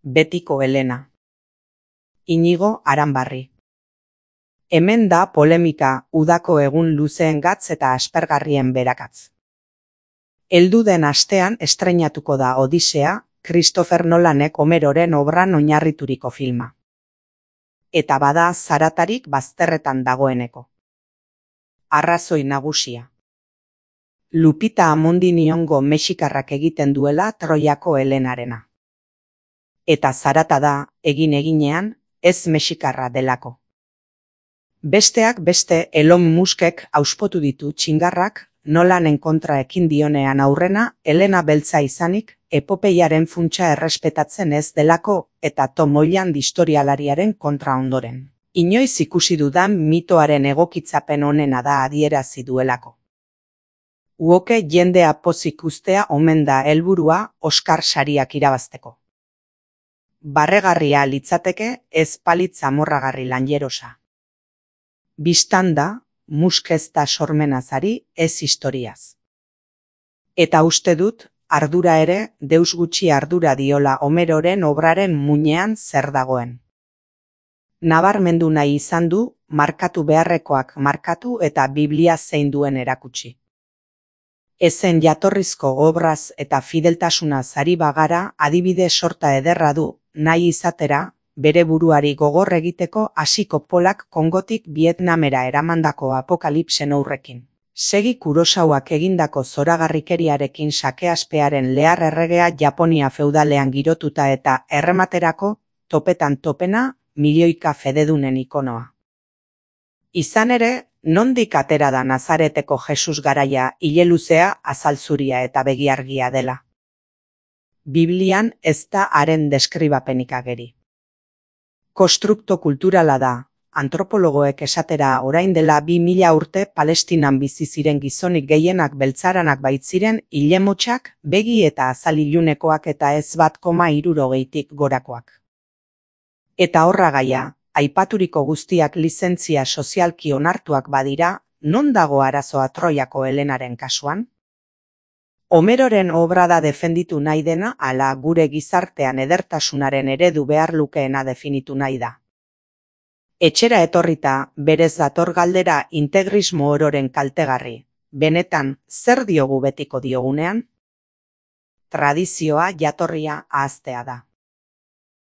Betiko Elena. Inigo Aranbarri. Hemen da polemika udako egun luzeengatz eta aspergarrien berakatz. Heldu den astean estreinatuko da Odisea, Christopher Nolanek Homeroren obran oinarrituriko filma. Eta bada zaratarik bazterretan dagoeneko. Arrazoi nagusia. Lupita Amondiniongo mexikarrak egiten duela Troiako Helenarena. Eta zarata da, egin-eginean, ez mexikarra delako. Besteak beste Elon Muskek auspotu ditu txingarrak, Nolanen kontra ekin dionean aurrena, Helena beltza izanik, epopeiaren funtsa errespetatzen ez delako eta Tom Holland historialariaren kontra ondoren. Inoiz ikusi dudan mitoaren egokitzapen onena da adierazi duelako. Uoke jendea pozik uztea omen da helburua Oscar sariak irabazteko. Barregarria litzateke ez palitz amorragarri lanjerosa. Bistanda, Musk ez da sormenazari ez historiaz. Eta uste dut, ardura ere, deus gutxi ardura diola Homeroren obraren muinean zer dagoen. Nabarmendu nahi izan du, markatu beharrekoak markatu eta Biblia zein duen erakutsi. Ezen jatorrizko obraz eta fideltasunaz ari bagara adibide sorta ederra du, nahi izatera, bere buruari gogor egiteko hasiko Polak Kongotik Vietnamera eramandako apokalipsen aurrekin. Segi Kurosawak egindako zoragarrikeriarekin sakeaspearen lehar erregea Japonia feudalean girotuta eta errematerako, topetan topena, milioika fededunen ikonoa. Izan ere, nondik atera da Nazareteko Jesus garaia ileluzea, azalzuria eta begiargia dela. Biblian ez da haren deskribapenik ageri. Konstrukto kulturala da, antropologoek esatera orain dela 2000 urte Palestinan bizi ziren gizonik gehienak beltzaranak baitziren ilemotsak, begi eta azal ilunekoak eta ez 1,60 gorakoak. Eta horra gaia, aipaturiko guztiak lizentzia sozialki onartuak badira, non dago arazoa Troiako Helenaren kasuan? Homeroren obra da defenditu nahi dena ala gure gizartean edertasunaren eredu behar lukeena definitu nahi da. Etxera etorrita, berez dator galdera integrismo ororen kaltegarri. Benetan, zer diogu betiko diogunean? Tradizioa jatorria ahaztea da.